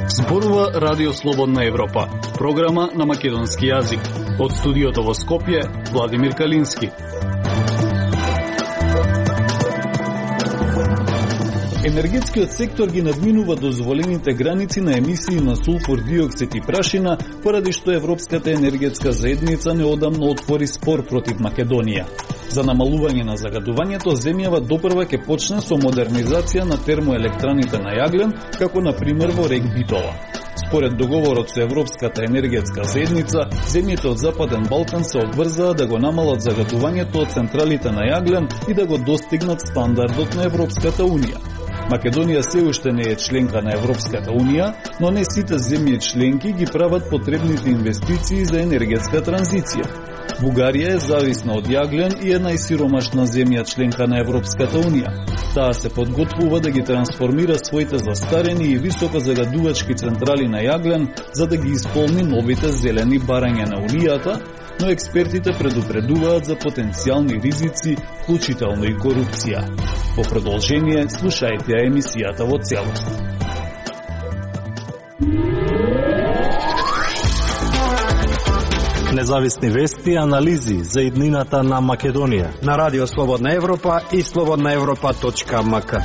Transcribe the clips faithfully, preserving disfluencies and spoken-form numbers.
Зборува Радио Слободна Европа, програма на македонски јазик. Од студиото во Скопје, Владимир Калински. Енергетскиот сектор ги надминува дозволените граници на емисии на сулфур диоксид и прашина, поради што Европската енергетска заедница неодамно отвори спор против Македонија. За намалување на загадувањето, земјава допрва ќе почне со модернизација на термоелектраните на јаглен, како на пример во Рек Битола. Според договорот со Европската енергетска заедница, земјите од Западен Балкан се обврзаа да го намалат загадувањето од централите на јаглен и да го достигнат стандардот на Европската унија. Македонија се уште не е членка на Европската унија, но не сите земји членки ги прават потребните инвестиции за енергетска транзиција. Бугарија е зависна од јаглен и е најсиромашна земја членка на Европската унија. Таа се подготвува да ги трансформира своите застарени и високо загадувачки централи на јаглен за да ги исполни новите зелени барања на унијата, но експертите предупредуваат за потенцијални ризици, вклучително и корупција. Во продолжение, слушајте ја емисијата во целост. Независни вести и анализи за иднината на Македонија на Радио Слободна Европа и слободна европа точка ем ка.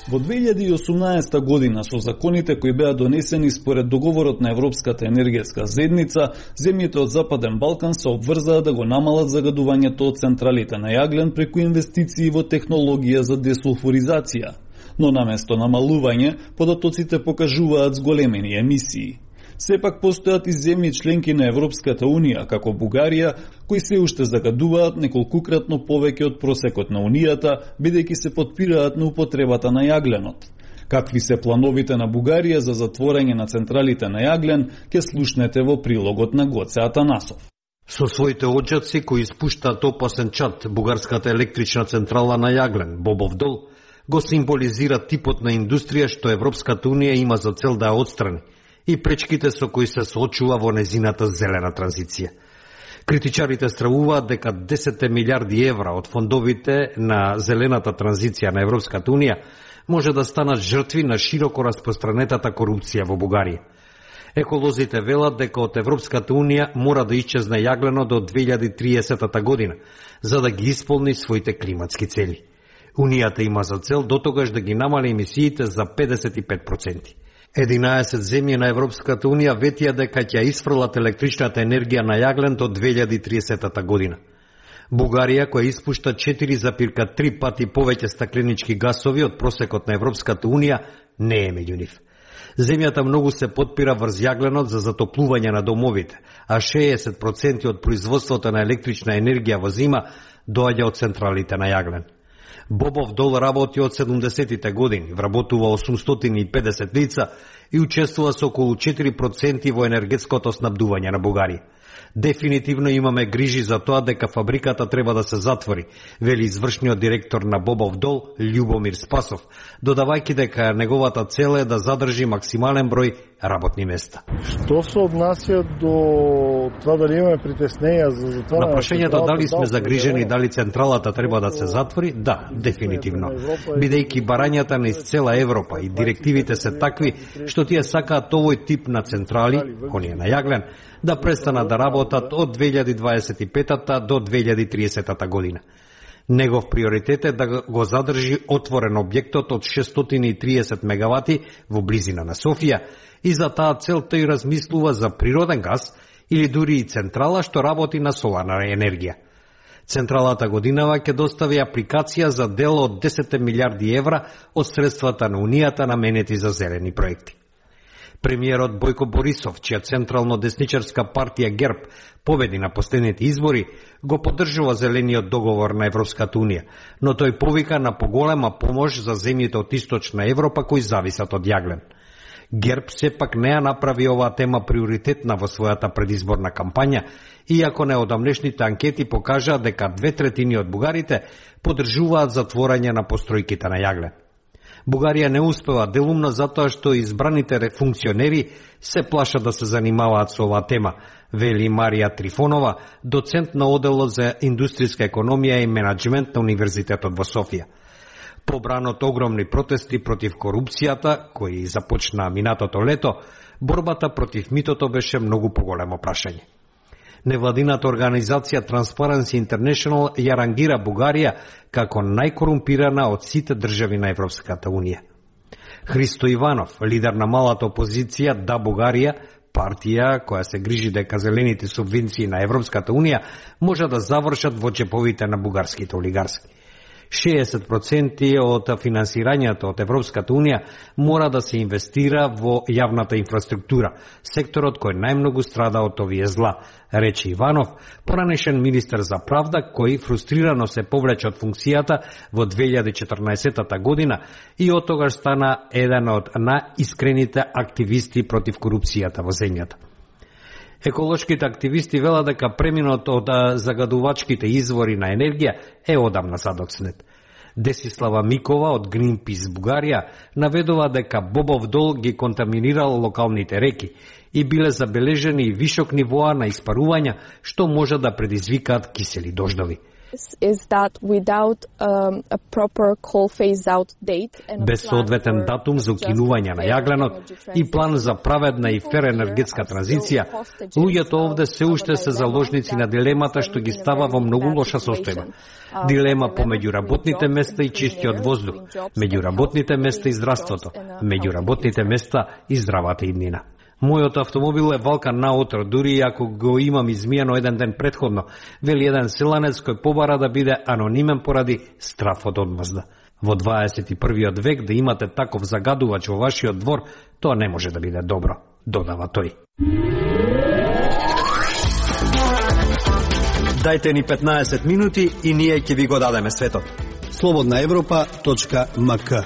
Во две илјади и осумнаесета година, со законите кои беа донесени според договорот на Европската енергетска заедница, земјите од Западен Балкан се обврзаа да го намалат загадувањето од централите на јаглен преку инвестиции во технологија за десулфуризација. Но наместо намалување, податоците покажуваат зголемени емисии. Сепак постојат и земји членки на Европската унија, како Бугарија, кои се уште загадуваат неколкукратно повеќе од просекот на унијата, бидејќи се потпираат на употребата на јагленот. Какви се плановите на Бугарија за затворање на централите на јаглен, ќе слушнете во прилогот на Гоце Атанасов. Со своите оджаци кои испуштаат опасен чад, бугарската електрична централа на јаглен, Бобов дол, го символизира типот на индустрија што Европската унија има за цел да ја отстрани и пречките со кои се соочува во незината зелена транзиција. Критичарите стравуваат дека десет милиарди евра од фондовите на зелената транзиција на Европската унија може да станат жртви на широко распространетата корупција во Бугарија. Еколозите велат дека од Европската унија мора да исчезне јаглено до две илјади и триесета година, за да ги исполни своите климатски цели. Унијата има за цел дотогаш да ги намали емисиите за педесет и пет проценти. единаесет земји на Европската унија ветија дека ќе исфрлат електричната енергија на јаглен до две илјади и триесета година. Бугарија, која испушта четири зарез три пати повеќе стакленички гасови од просекот на Европската унија, не е меѓу нив. Земјата многу се потпира врз јагленот за затоплување на домовите, а шеесет проценти од производството на електрична енергија во зима доаѓа од централите на јаглен. Бобов дол работи од седумдесетите години, вработува осумстотини и педесет лица и учествува со околу четири проценти во енергетското снабдување на Бугарија. Дефинитивно имаме грижи за тоа дека фабриката треба да се затвори, вели извршниот директор на Бобов дол Љубомир Спасов, додавајќи дека неговата цел е да задржи максимален број работни места. Што се однася до тоа дали имаме притеснења за затворање? На прашањето дали сме загрижени дали централата треба да се затвори, да, дефинитивно. Бидејќи барањата на из цела Европа и директивите се такви што тие сакаат овој тип на централи, оние на јаглен, да престанат да работат од две илјади дваесет и пета до две илјади и триесета година. Негов приоритет е да го задржи отворен објектот од шестстотини и триесет мегавати во близина на Софија и за таа цел тој размислува за природен газ или дури и централа што работи на соларна енергија. Централата годинава ќе достави апликација за дел од десет милиарди евра од средствата на Унијата наменети за зелени проекти. Премиерот Бојко Борисов, чија централно-десничарска партија ГЕРБ победи на последните избори, го поддржува зелениот договор на Европската унија, но тој повика на поголема помош за земјите од Источна Европа кои зависат од јаглен. ГЕРБ сепак не ја направи оваа тема приоритетна во својата предизборна кампања, иако неодамнешните анкети покажаат дека две третини од бугарите поддржуваат затворање на постројките на јаглен. Бугарија не успева делумно затоа што избраните функционери се плашат да се занимаваат со оваа тема, вели Марија Трифонова, доцент на оделот за индустријска економија и менаџмент на Универзитетот во Софија. Побрано од огромни протести против корупцијата, кои започна минатото лето, борбата против митото беше многу поголемо прашање. Невладината организација Transparency International ја рангира Бугарија како најкорумпирана од сите држави на Европската Унија. Христо Иванов, лидер на малата опозиција Да Бугарија, партија која се грижи дека зелените субвенции на Европската Унија може да завршат во џеповите на бугарските олигарси. шеесет проценти од финансирањето од Европската Унија мора да се инвестира во јавната инфраструктура, секторот кој најмногу страда од овие зла, рече Иванов, поранешен министер за правда, кој фрустрирано се повлече од функцијата во две илјади и четрнаесетта година и од тогаш стана еден од најискрените активисти против корупцијата во земјата. Еколошките активисти велат дека преминот од загадувачките извори на енергија е одамна задоцнет. Десислава Микова од Greenpeace Бугарија наведува дека Бобов дол ги контаминирал локалните реки и биле забележени висок нивоа на испарувања што може да предизвикаат кисели дождови. Без соодветен датум за укинување на јагленот и план за праведна и фер енергетска транзиција, луѓето овде се уште се заложници на дилемата што ги става во многу лоша состојба. Дилема помеѓу работните места и чистиот воздух, меѓу работните места и здравството, меѓу работните места и здравата иднина. Мојот автомобил е валкан наутро, дури и ако го имам измијано еден ден предходно, вели еден селанец кој побара да биде анонимен поради страф од одмазда. Во дваесет и првиот век да имате таков загадувач во вашиот двор, тоа не може да биде добро, додава тој. Дајте ни петнаесет минути и ние ќе ви го дадеме светот. слободна европа точка ем ка.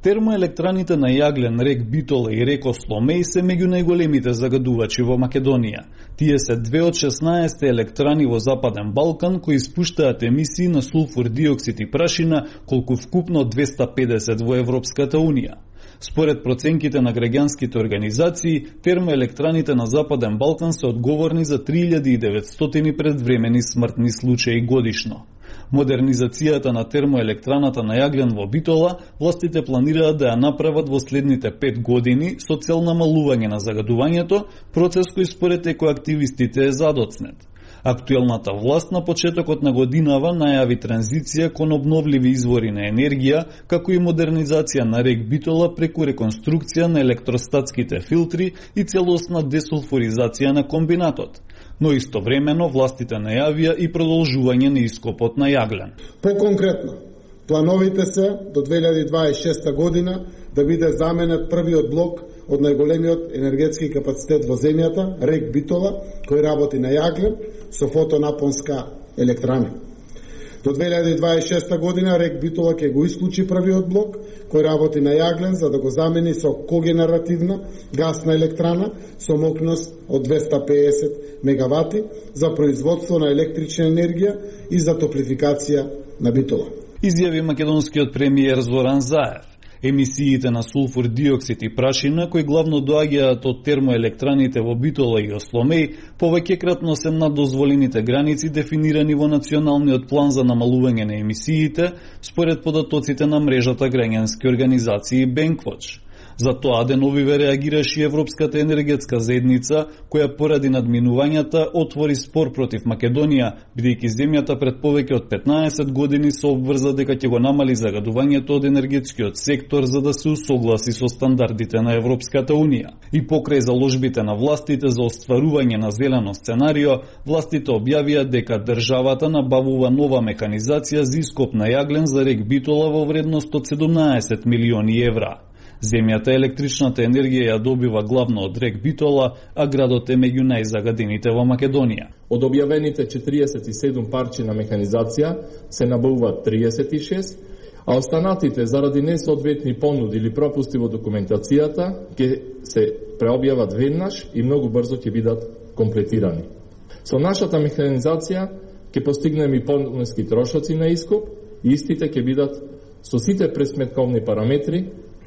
Термоелектраните на јаглен, рек Битола и рек Осломеј се меѓу најголемите загадувачи во Македонија. Тие се две од шеснаесет електрани во Западен Балкан кои испуштаат емисии на сулфур диоксид и прашина колку вкупно двеста педесет во Европската Унија. Според проценките на граѓанските организации, термоелектраните на Западен Балкан се одговорни за три илјади и деветстотини предвремени смртни случаи годишно. Модернизацијата на термоелектраната на јаглен во Битола властите планираат да ја направат во следните пет години со цел намалување на загадувањето, процес кој според екоактивистите е задоцнет. Актуелната власт на почетокот на годинава најави транзиција кон обновливи извори на енергија, како и модернизација на рек Битола преку реконструкција на електростатските филтри и целосна десулфуризација на комбинатот. Но истовремено властите најавија и продолжување на ископот на јаглен. Поконкретно, плановите се до две илјади дваесет и шеста година да биде заменет првиот блок од најголемиот енергетски капацитет во земјата, рек Битола, кој работи на јаглен со фотонапонска електрана. До две илјади дваесет и шеста година рек Битола ќе го исклучи првиот блок кој работи на јаглен за да го замени со когенеративна гасна електрана со мокност од двеста педесет мегавати за производство на електрична енергија и за топлификација на Битола. Изјави македонскиот премиер Зоран Заев. Емисиите на сулфур диоксид и прашина, кои главно доаѓаат од термоелектраните во Битола и Осломеј, повеќекратно се над дозволените граници дефинирани во Националниот план за намалување на емисиите, според податоците на мрежата граѓански организации Бенквоч. За тоа деновиве реагираше Европската енергетска заедница, која поради надминувањата отвори спор против Македонија, бидејќи земјата пред повеќе од петнаесет години се обврза дека ќе го намали загадувањето од енергетскиот сектор за да се усогласи со стандардите на Европската Унија. И покрај заложбите на властите за остварување на зелено сценарио, властите објавија дека државата набавува нова механизација за ископ на јаглен за рек Битола во вредност од седумнаесет милиони евра. Земјата електричната енергија ја добива главно од рек Битола, а градот е меѓу најзагадените во Македонија. Од објавените четириесет и седум парчи на механизација се набавуваат триесет и шест, а останатите заради несоодветни понуди или пропусти во документацијата ќе се преобјават веднаш и многу брзо ќе бидат комплетирани. Со нашата механизација ќе постигнеме и пониски трошоци на искуп и истите ќе бидат со сите пресметковни параметри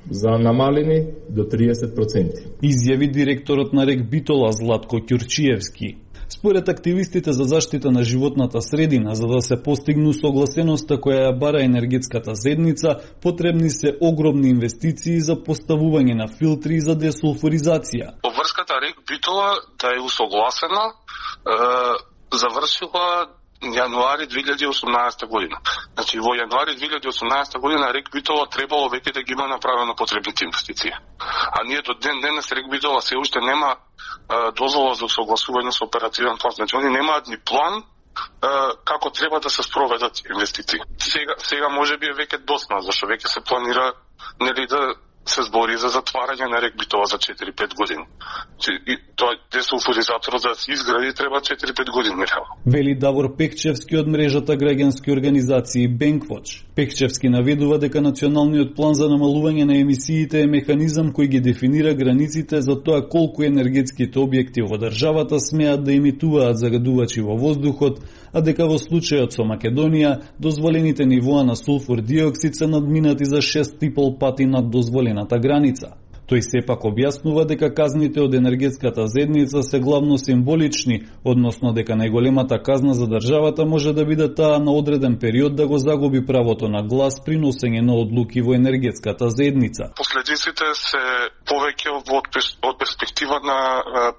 за намалени до триесет проценти. Изјави директорот на РЕК Битола Златко Ќурчиевски. Според активистите за заштита на животната средина, за да се постигну согласеноста која ја бара енергетската заедница, потребни се огромни инвестиции за поставување на филтри за десулфуризација. Врската РЕК Битола да е усогласена, е, завршила јануари две илјади и осумнаесета година. Значи во јануари две илјади и осумнаесета година РЕК Битола требало веќе да ги има направено потребните инвестиции. А ние до ден денес РЕК Битола се уште нема е, дозвола за согласување со оперативен план. Значи они немаат ни план е, како треба да се спроведат инвестиции. Сега сега можеби е веќе доцна, зашто веќе се планира нели да се збори за затварање на РЕК Битола за четири-пет години. И тоа десулфуризаторот за да се изгради треба четири-пет години реално. Вели Давор Пекчевски од мрежата граѓански организации Бенквоч. Пекчевски наведува дека националниот план за намалување на емисиите е механизам кој ги дефинира границите за тоа колку енергетските објекти во државата смеат да емитуваат загадувачи во воздухот, а дека во случајот со Македонија дозволените нивоа на сулфур диоксид се надминати за шест и пол пати над дозволената граница. Тој сепак објаснува дека казните од енергетската заедница се главно символични, односно дека најголемата казна за државата може да биде таа на одреден период да го загуби правото на глас при носење на одлуки во енергетската заедница. Последиците се повеќе од перспектива на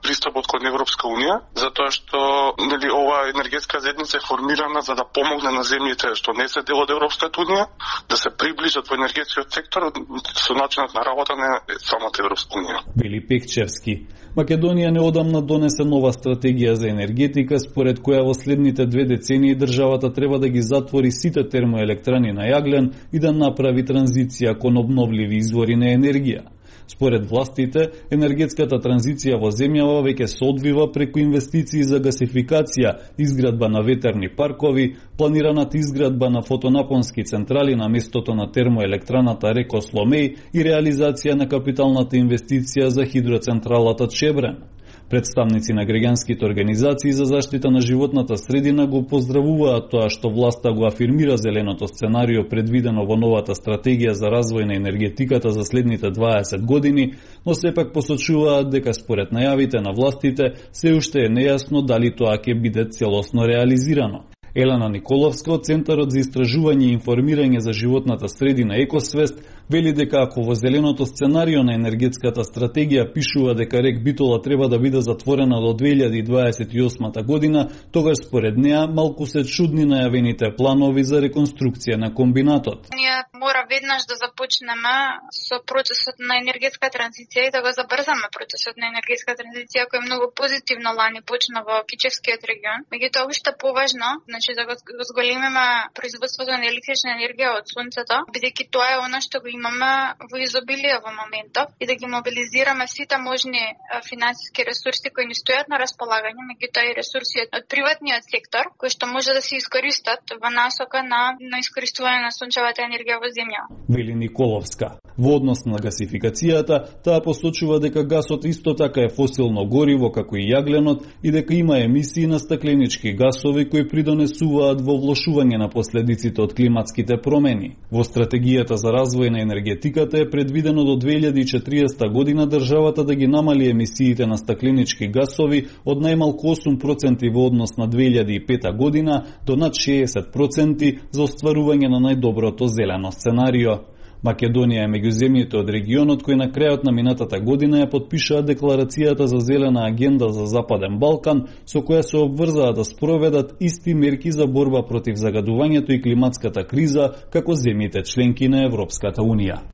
пристапот кон Европска унија, затоа што нели ова енергетска заедница е формирана за да помогне на земјите што не се дел од Европската унија да се приближат во енергетскиот сектор со начинот на работа на самата Европска унија. Вели Пекчевски. Македонија неодамна донесе нова стратегија за енергетика, според која во следните две децении државата треба да ги затвори сите термоелектрани на јаглен и да направи транзиција кон обновливи извори на енергија. Според властите, енергетската транзиција во земјава веќе се одвива преку инвестиции за гасификација, изградба на ветерни паркови, планираната изградба на фотонапонски централи на местото на термоелектраната Реко Сломеј и реализација на капиталната инвестиција за хидроцентралата Чебрен. Представници на граѓанските организации за заштита на животната средина го поздравуваат тоа што власта го афирмира зеленото сценарио предвидено во новата стратегија за развој на енергетиката за следните дваесет години, но сепак посочуваат дека според најавите на властите се уште е нејасно дали тоа ќе биде целосно реализирано. Елена Николовска од Центарот за истражување и информирање за животната средина Екосвест вели дека ако во зеленото сценарио на енергетската стратегија пишува дека РЕК Битола треба да биде затворена до две илјади дваесет и осма година, тогаш според неа малку се чудни најавените планови за реконструкција на комбинатот. Ние мора веднаш да започнеме со процесот на енергетска транзиција и да го забрзаме процесот на енергетска транзиција кој е многу позитивно лани почна во Кичевскиот регион. Меѓутоа уште поважно, значи да го зголемиме производството на електрична енергија од сонцето, бидејќи тоа е она што го имаме во изобилие во моментов и да ги мобилизираме сите можни финансиски ресурси кои ни стојат на располагање, меѓутоа и ресурси од приватниот сектор кои што може да се искористат во насока на на искористување на сончевата енергија во земја. Вели Николовска. Во однос на гасификацијата, таа посочува дека гасот исто така е фосилно гориво како и јагленот и дека има емисии на стакленички гасови кои придонесуваат во влошување на последиците од климатските промени. Во стратегијата за развој на енергетиката е предвидено до две илјади и четириесета година државата да ги намали емисиите на стакленички гасови од најмалку осум проценти во однос на две илјади и пета година до над шеесет проценти за остварување на најдоброто зелено сценарио. Македонија е меѓу земјите од регионот кои на крајот на минатата година ја потпишаа декларацијата за зелена агенда за Западен Балкан, со која се обврзаа да спроведат исти мерки за борба против загадувањето и климатската криза како земјите членки на Европската унија.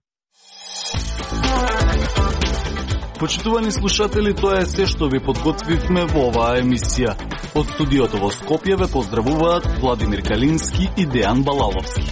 Почитувани слушатели, тоа е се што ви подготвивме во оваа емисија. Од студиото во Скопје ве поздравуваат Владимир Калински и Дејан Балаловски.